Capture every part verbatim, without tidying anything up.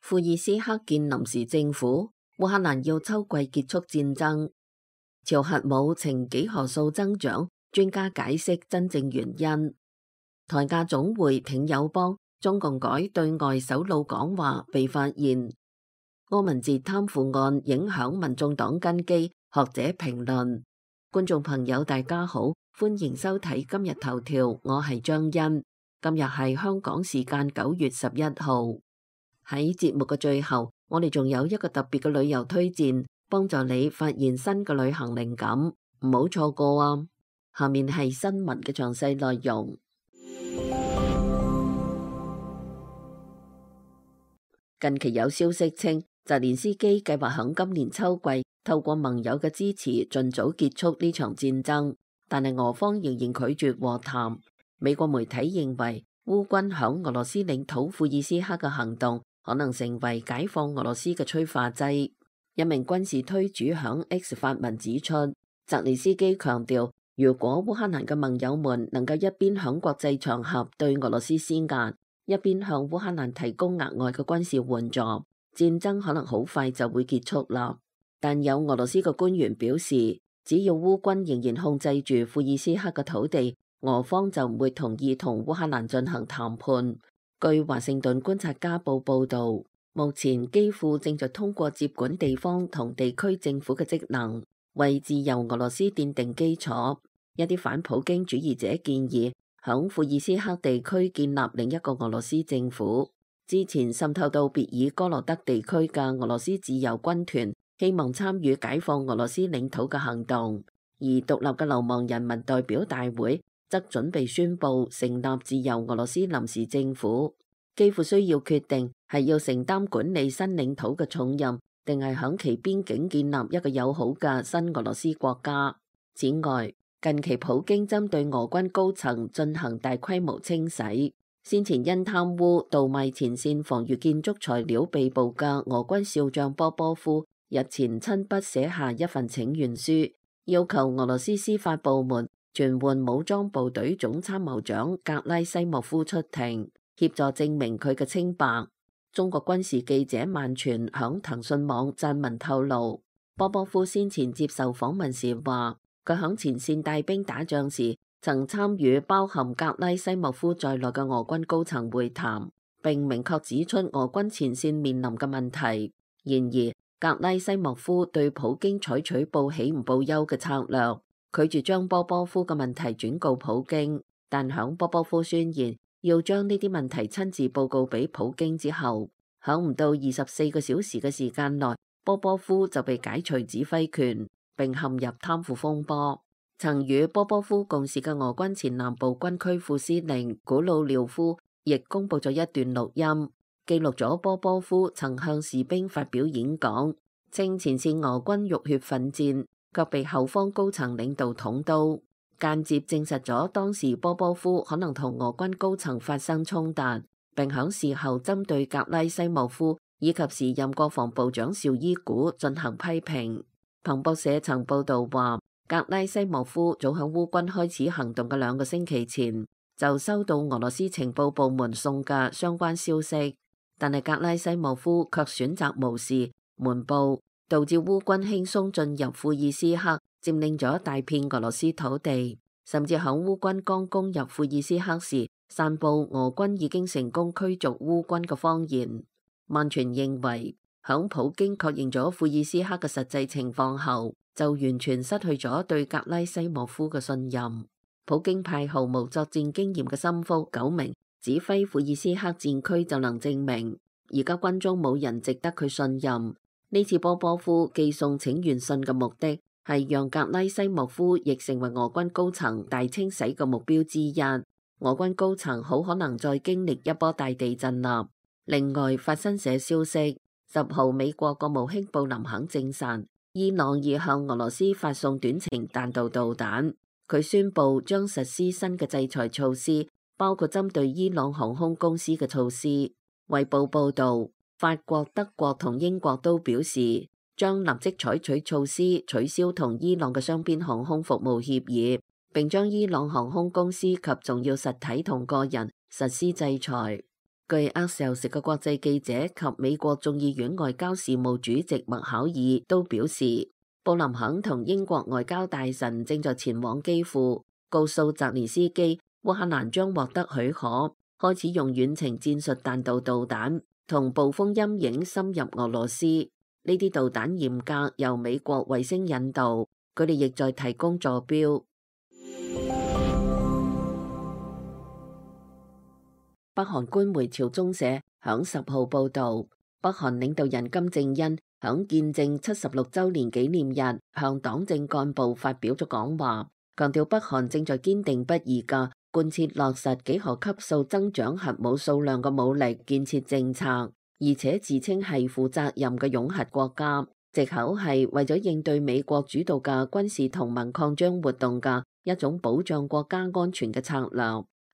庫爾斯克建臨時政府，烏克蘭要秋季結束戰爭。朝核武呈幾何數增長，專家解釋真正原因。台亞總會挺友邦，中共改對外首腦講話被發現。柯文哲貪腐案影響民眾黨根基，學者評論。觀眾朋友大家好，歡迎收睇今日頭條，我係張欣。今日係香港時間九月十一號。喺節目嘅最後，我哋仲有一個特別嘅旅遊推薦，幫助你發現新嘅旅行靈感，唔好錯過啊！下面係新聞嘅詳細內容。近期有消息稱，澤連斯基計劃響今年秋季透過盟友嘅支持，盡早結束呢場戰爭，但係俄方仍然拒絕和談。美國媒體認為，烏軍響俄羅斯領土庫爾斯克嘅行動可能成為解放俄羅斯嘅催化劑。一名軍事推主響 X 發文指出，澤連斯基強調，如果烏克蘭嘅盟友們能夠一邊響國際場合對俄羅斯施壓，一邊向烏克蘭提供額外嘅軍事援助，戰爭可能好快就會結束啦。但有俄羅斯嘅官員表示，只要烏軍仍然控制住庫爾斯克嘅土地，俄方就唔會同意同烏克蘭進行談判。據華盛頓觀察家報報導，目前基輔正在通過接管地方同地區政府嘅職能，為自由俄羅斯奠定基礎。一啲反普京主義者建議，響庫爾斯克地區建立另一個俄羅斯政府。之前滲透到別爾哥羅德地區嘅俄羅斯自由軍團希望參與解放俄羅斯領土嘅行動，而獨立嘅流亡人民代表大會則準備宣布成立自由俄羅斯臨時政府。幾乎需要決定係要承擔管理新領土嘅重任，定係響其邊境建立一個友好嘅新俄羅斯國家。此外，近期普京針對俄軍高層進行大規模清洗。先前因貪污倒賣前線防禦建築材料被捕嘅俄軍少將波波夫日前親筆寫下一份請願書，要求俄羅斯司法部門傳喚武裝部隊總參謀長格拉西莫夫出庭，協助證明佢嘅清白。中國軍事記者萬全響騰訊網撰文透露，波波夫先前接受訪問時話，佢響前線帶兵打仗時，曾參與包含格拉西莫夫在內嘅俄軍高層會談，並明確指出俄軍前線面臨嘅問題。然而，格拉西莫夫對普京採取報喜唔報憂嘅策略，拒絕將波波夫嘅問題轉告普京。但響波波夫宣言要將呢啲問題親自報告俾普京之後，響唔到二十四個小時嘅時間內，波波夫就被解除指揮權，並陷入貪腐風波。曾與波波夫共事嘅俄軍前南部軍區副司令古魯廖夫亦公布咗一段錄音，記錄咗波波夫曾向士兵發表演講，稱前線俄軍浴血奮戰，卻被後方高層領導捅刀，間接證實咗當時波波夫可能同俄軍高層發生衝突，並響事後針對格拉西莫夫以及時任國防部長紹伊古進行批評。彭博社曾報道話，格拉西莫夫早喺烏軍開始行動嘅兩個星期前就收到俄羅斯情報部門送嘅相關消息，但係格拉西莫夫卻選擇無視瞞報，導致烏軍輕鬆進入庫爾斯克，佔領咗大片俄羅斯土地，甚至響烏軍剛攻入庫爾斯克時，散佈俄軍已經成功驅逐烏軍嘅謊言。萬全認為，響普京確認咗庫爾斯克嘅實際情況後，就完全失去咗對格拉西莫夫嘅信任。普京派毫無作戰經驗嘅心腹九明指揮庫爾斯克戰區，就能證明而家軍中冇人值得佢信任。呢次波波夫寄送請願信嘅目的係讓格拉西莫夫亦成為俄軍高層大清洗嘅目標之一。俄軍高層好可能再經歷一波大地震啦。另外，法新社消息，十號美國國務卿布林肯證實，伊朗已向俄羅斯發送短程彈道導彈。佢宣布將實施新嘅制裁措施，包括針對伊朗航空公司嘅措施。衛報報導，法國、德國同英國都表示將立即採取措施取消同伊朗嘅雙邊航空服務協議，並將伊朗航空公司及重要實體同個人實施制裁。據 Axios 嘅國際記者及美國眾議院外交事務主席麥考爾都表示，布林肯同英國外交大臣正在前往基輔，告訴澤連斯基，烏克蘭將獲得許可，開始用遠程戰術彈道導彈同暴風陰影深入俄羅斯。呢啲導彈嚴格由美國衛星引導，佢哋亦在提供坐標。北韓官媒朝中社響十號報導，北韓領導人金正恩響建政七十六週年紀念日向黨政幹部發表咗講話，強調北韓正在堅定不移嘅貫徹落實幾何級數增長核武數量嘅武力建設政策，而且自稱係負責任嘅擁核國家，藉口係為咗應對美國主導嘅軍事同盟擴張活動嘅一種保障國家安全嘅策略。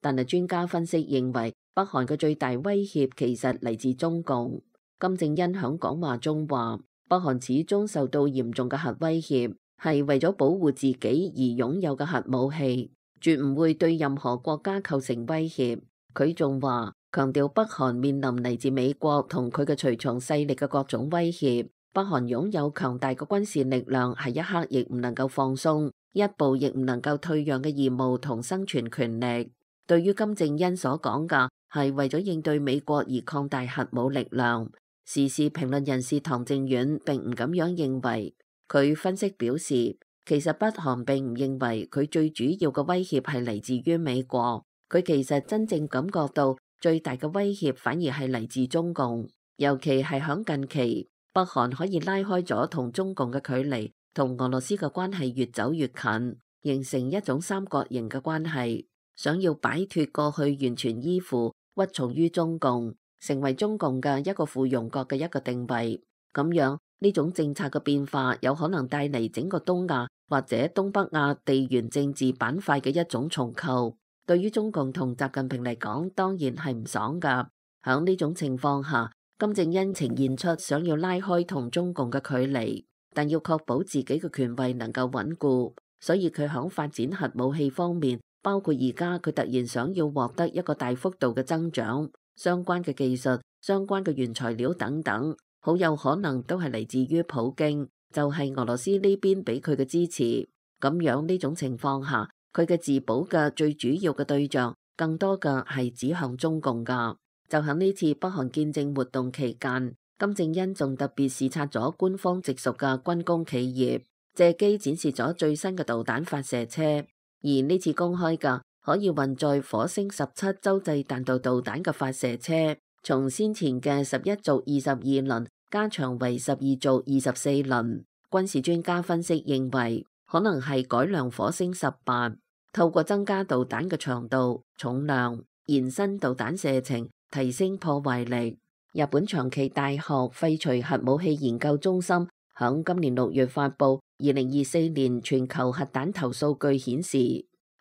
但係專家分析認為，北韓嘅最大威脅其實嚟自中共。金正恩響講話中話，北韓始終受到嚴重嘅核威脅，係為咗保護自己而擁有嘅核武器，絕唔會對任何國家構成威脅。佢仲話，強調北韓面臨嚟自美國同佢嘅隨從勢力嘅各種威脅，北韓擁有強大嘅軍事力量，係一刻亦唔能夠放鬆，一步亦唔能夠退讓嘅義務同生存權力。對於金正恩所講嘅係為咗應對美國而擴大核武力量，時事評論人士唐正遠並唔咁樣認為。佢分析表示，其實北韓並唔認為佢最主要嘅威脅係嚟自於美國，佢其實真正感覺到最大嘅威脅反而係嚟自中共，尤其係響近期，北韓可以拉開咗同中共嘅距離，同俄羅斯嘅關係越走越近，形成一種三角形嘅關係。想要擺脫過去完全依附屈從於中共，成為中共嘅一個附庸國嘅一個定位，咁樣呢種政策嘅變化有可能帶嚟整個東亞或者東北亞地緣政治板塊嘅一種重構。對於中共同習近平嚟講，當然係唔爽噶。響呢種情況下，金正恩呈現出想要拉開同中共嘅距離，但要確保自己嘅權位能夠穩固，所以佢響發展核武器方面，包括而家佢突然想要獲得一個大幅度嘅增長，相關嘅技術、相關嘅原材料等等，好有可能都係嚟自於普京，就係俄羅斯呢邊俾佢嘅支持。咁樣呢種情況下，佢嘅自保嘅最主要嘅對象，更多嘅係指向中共噶。就喺呢次北韓建政活動期間，金正恩仲特別視察咗官方直屬嘅軍工企業，借機展示咗最新嘅導彈發射車。而呢次公開嘅可以運載火星十七洲際彈道導彈嘅發射車，從先前嘅十一組二十二輪加長為十二組二十四輪。軍事專家分析認為，可能係改良火星十八，透過增加導彈嘅長度、重量，延伸導彈射程，提升破壞力。日本長崎大學廢除核武器研究中心響今年六月發布二零二四年全球核彈頭數據顯示，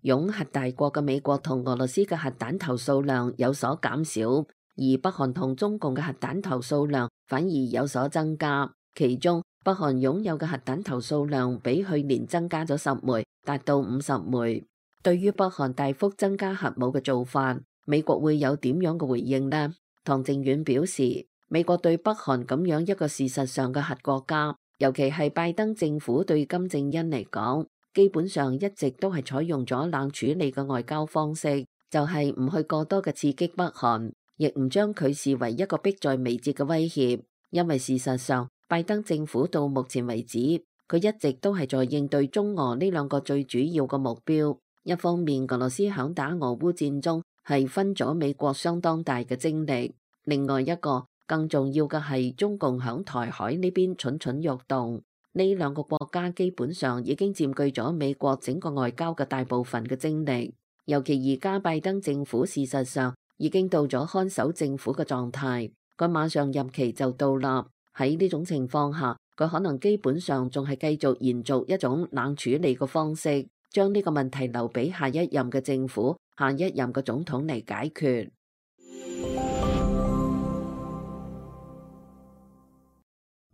擁核大國嘅美國同俄羅斯嘅核彈頭數量有所減少，而北韓同中共嘅核彈頭數量反而有所增加。其中，北韓擁有嘅核彈頭數量比去年增加咗十枚，達到五十枚。對於北韓大幅增加核武嘅做法，美國會有點樣嘅回應呢？唐正遠表示，美國對北韓咁樣一個事實上嘅核國家，尤其係拜登政府對金正恩嚟講，基本上一直都係採用咗冷處理嘅外交方式，就係唔去過多嘅刺激北韓，亦唔將佢視為一個迫在眉睫嘅威脅。因為事實上，拜登政府到目前為止，佢一直都係在應對中俄呢兩個最主要嘅目標。一方面，俄羅斯響打俄烏戰中係分咗美國相當大嘅精力，另外一個更重要嘅係中共響台海呢邊蠢蠢欲動。呢兩個國家基本上已經佔據咗美國整個外交嘅大部分嘅精力，尤其而家拜登政府事實上已經到咗看守政府嘅狀態，佢馬上任期就到啦。喺呢種情況下，佢可能基本上仲係繼續延續一種冷處理嘅方式，將呢個問題留俾下一任嘅政府、下一任嘅總統嚟解決。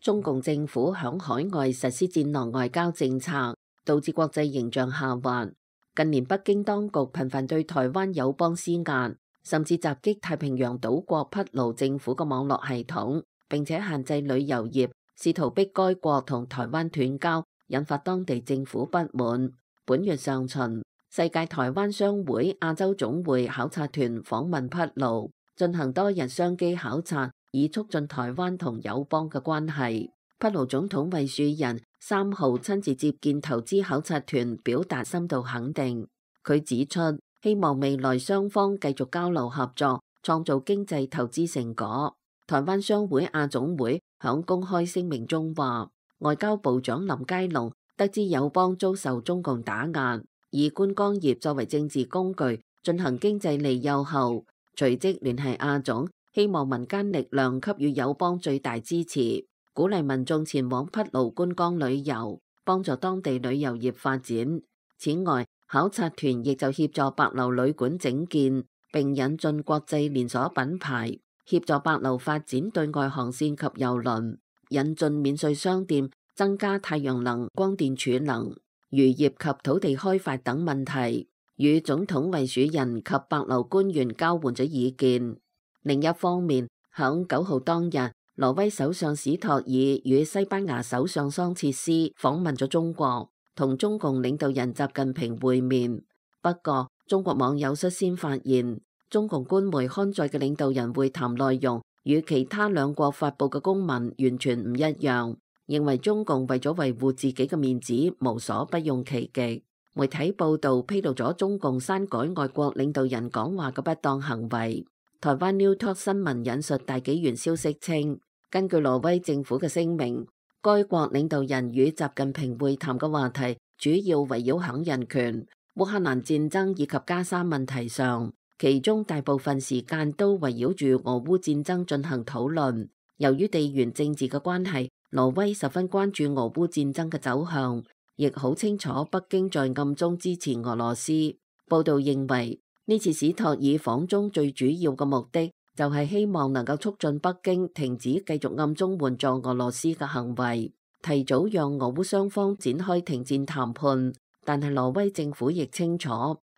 中共政府響海外實施戰狼外交政策，導致國際形象下滑。近年北京當局頻繁對台灣友邦施壓，甚至襲擊太平洋島國匹盧政府嘅網絡系統，並且限制旅遊業，試圖逼該國同台灣斷交，引發當地政府不滿。本月上旬，世界台灣商會亞洲總會考察團訪問匹盧，進行多日商機考察，以促進台灣同友邦嘅關係。匹盧總統衛樹人三號親自接見投資考察團，表達深度肯定。佢指出，希望未來雙方繼續交流合作，創造經濟投資成果。台灣商會亞總會響公開聲明中話，外交部長林佳龍得知友邦遭受中共打壓，以觀光業作為政治工具進行經濟利誘後，隨即聯繫亞總，希望民間力量給予友邦最大支持，鼓勵民眾前往匹盧觀光旅遊，幫助當地旅遊業發展。此外，考察團亦就協助帛琉旅館整建，並引進國際連鎖品牌，協助帛琉發展對外航線及郵輪，引進免稅商店，增加太陽能、光電儲能、漁業及土地開發等問題，與總統衛樹人及帛琉官員交換咗意見。另一方面，響九號當日，挪威首相史托爾與西班牙首相桑切斯訪問咗中國，同中共領導人習近平會面。不過，中國網友率先發現，中共官媒刊載嘅領導人會談內容與其他兩國發佈嘅公文完全唔一樣，認為中共為咗維護自己嘅面子，無所不用其極。媒體報道披露咗中共刪改外國領導人講話嘅不當行為。台灣 New Talk 新聞引述大紀元消息稱，根據挪威政府嘅聲明，該國領導人與習近平會談嘅話題主要圍繞響人權、烏克蘭戰爭以及加沙問題上，其中大部分時間都圍繞住俄烏戰爭進行討論。由於地緣政治嘅關係，挪威十分關注俄烏戰爭嘅走向，亦好清楚北京在暗中支持俄羅斯。報道認為，呢次史托爾訪中最主要嘅目的，就係希望能夠促進北京停止繼續暗中援助俄羅斯嘅行為，提早讓俄烏雙方展開停戰談判。但係挪威政府亦清楚，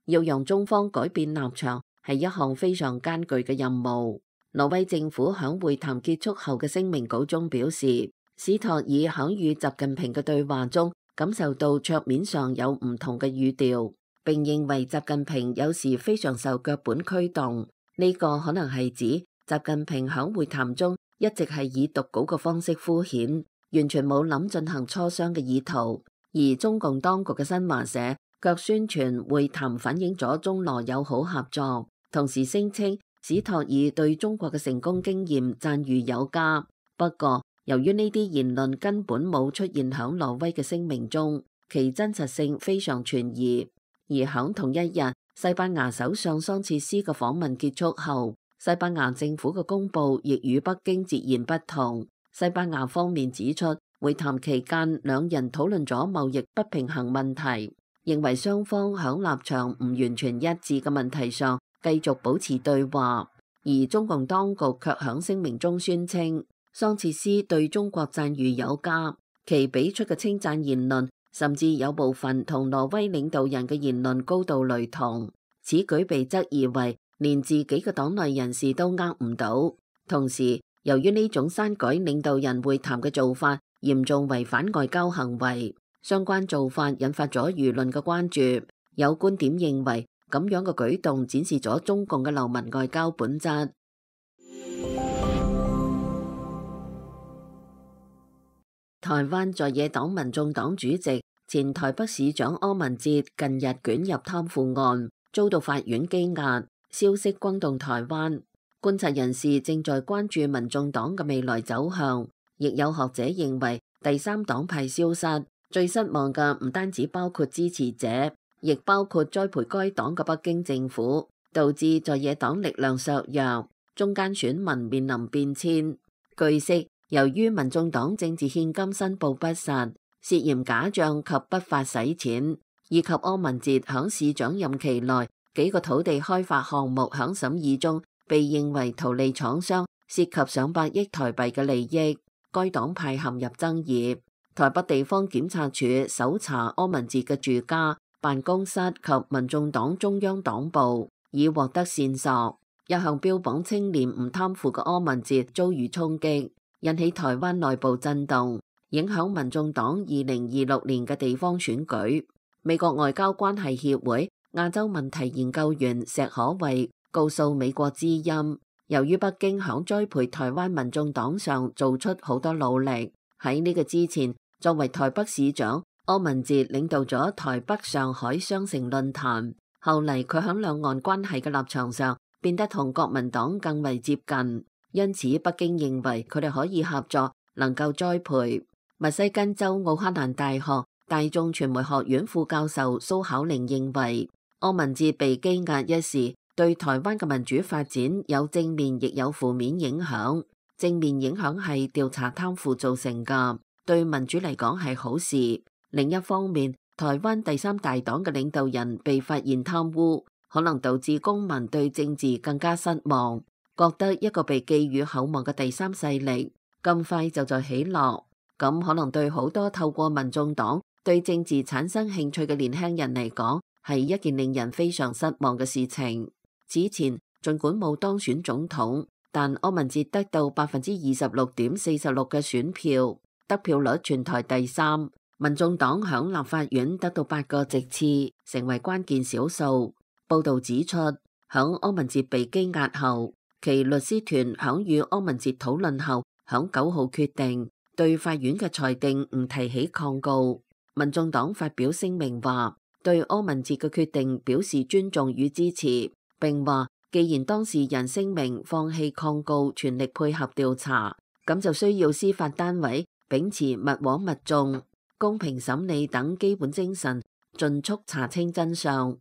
要讓中方改變立場係一項非常艱巨嘅任務。挪威政府響會談結束後嘅聲明稿中表示，史托爾響與習近平嘅對話中感受到桌面上有唔同嘅語調，並認為習近平有時非常受腳本驅動。呢個可能係指習近平響會談中一直係以讀稿嘅方式敷衍，完全冇諗進行磋商嘅意圖。而中共當局嘅新華社卻宣傳會談反映咗中羅友好合作，同時聲稱史托爾對中國嘅成功經驗讚譽有加。不過，由於呢啲言論根本冇出現響挪威嘅聲明中，其真實性非常存疑。而響同一日，西班牙首相桑切斯嘅訪問結束後，西班牙政府嘅公佈亦與北京截然不同。西班牙方面指出，會談期間兩人討論咗貿易不平衡問題，認為雙方響立場唔完全一致嘅問題上繼續保持對話。而中共當局卻響聲明中宣稱，桑切斯對中國讚譽有加，其俾出嘅稱讚言論甚至有部分同挪威領導人嘅言論高度雷同。此舉被質疑為連自己嘅黨內人士都呃唔到。同時，由於呢種刪改領導人會談嘅做法嚴重違反外交行為，相關做法引發咗輿論嘅關注。有觀點認為，咁樣嘅舉動展示咗中共嘅流氓外交本質。台灣在野黨民眾黨主席、前台北市長柯文哲近日捲入貪腐案，遭到法院羈押，消息轟動台灣。觀察人士正在關注民眾黨嘅未來走向，亦有學者認為第三黨派消失，最失望嘅唔單止包括支持者，亦包括栽培該黨嘅北京政府，導致在野黨力量削弱，中間選民面臨變遷。據悉，由於民眾黨政治獻金申報不實，涉嫌假賬及不法洗錢，以及柯文哲響市長任期內幾個土地開發項目響審議中被認為圖利廠商，涉及上百億台幣嘅利益，該黨派陷入爭議。台北地方檢察署搜查柯文哲嘅住家、辦公室及民眾黨中央黨部，以獲得線索。一向標榜清廉唔貪腐嘅柯文哲遭遇衝擊，引起台灣內部震動，影響民眾黨二零二六年嘅地方選舉。美國外交關係協會亞洲問題研究員石可慧告訴美國之音，由於北京響栽培台灣民眾黨上做出好多努力，喺呢個之前，作為台北市長，柯文哲領導咗台北上海雙城論壇，後嚟佢響兩岸關係嘅立場上變得同國民黨更為接近，因此北京認為佢哋可以合作，能夠栽培。密西根州奧克蘭大學大眾傳媒學院副教授蘇巧玲認為，柯文哲被羈押一事對台灣嘅民主發展有正面亦有負面影響。正面影響係調查貪腐造成㗎，對民主嚟講係好事。另一方面，台灣第三大黨嘅領導人被發現貪污，可能導致公民對政治更加失望，覺得一個被寄予厚望嘅第三勢力咁快就在起落，咁可能對好多透過民眾黨對政治產生興趣嘅年輕人嚟講，係一件令人非常失望嘅事情。此前儘管冇當選總統，但柯文哲得到百分之二十六點四十六嘅選票，得票率全台第三。民眾黨響立法院得到八個席次，成為關鍵少數。報道指出，響柯文哲被羈押後，其律師團響與柯文哲討論後，響九號決定對法院嘅裁定唔提起抗告。民眾黨發表聲明話，對柯文哲嘅決定表示尊重與支持，並話既然當事人聲明放棄抗告，全力配合調查，咁就需要司法單位秉持勿枉勿縱、公平審理等基本精神，盡速查清真相。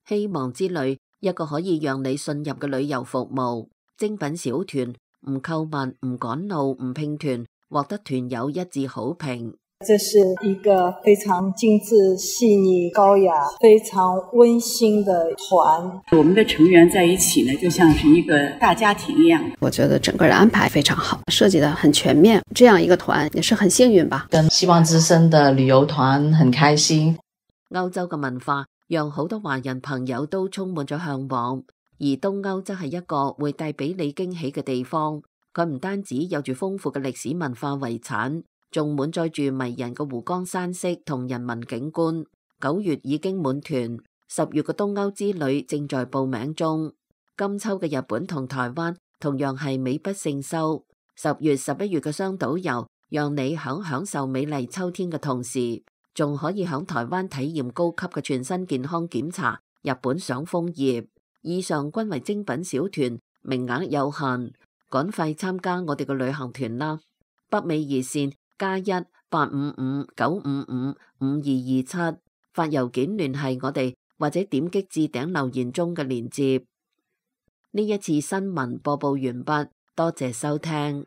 希望之旅，一個可以讓你信任嘅旅遊服務，精品小團，唔購物、唔趕路、唔拼團，獲得團友一致好評。這是一個非常精緻、細膩、高雅、非常溫馨的團。我們的成員在一起呢，就像是一個大家庭一樣。我覺得整個人安排非常好，設計得很全面。這樣一個團也是很幸運吧。跟希望之聲的旅遊團很開心。歐洲嘅文化讓好多華人朋友都充滿咗向往，而東歐則係一個會帶俾你驚喜嘅地方。佢唔單止有住豐富嘅歷史文化遺產，仲滿載住迷人嘅湖光山色同人文景觀。九月已經滿團，十月嘅東歐之旅正在報名中。今秋嘅日本同台灣同樣係美不勝收。十月、十一月嘅雙島遊，讓你響享受美麗秋天嘅同時，仲可以響台灣體驗高級嘅全身健康檢查，日本賞楓葉。以上均為精品小團，名額有限，趕快參加我哋嘅旅行團啦！北美熱線加一八五五九五五五二二七，發郵件聯繫我哋，或者點擊置頂留言中嘅鏈接。呢一次新聞播報完畢，多謝收聽。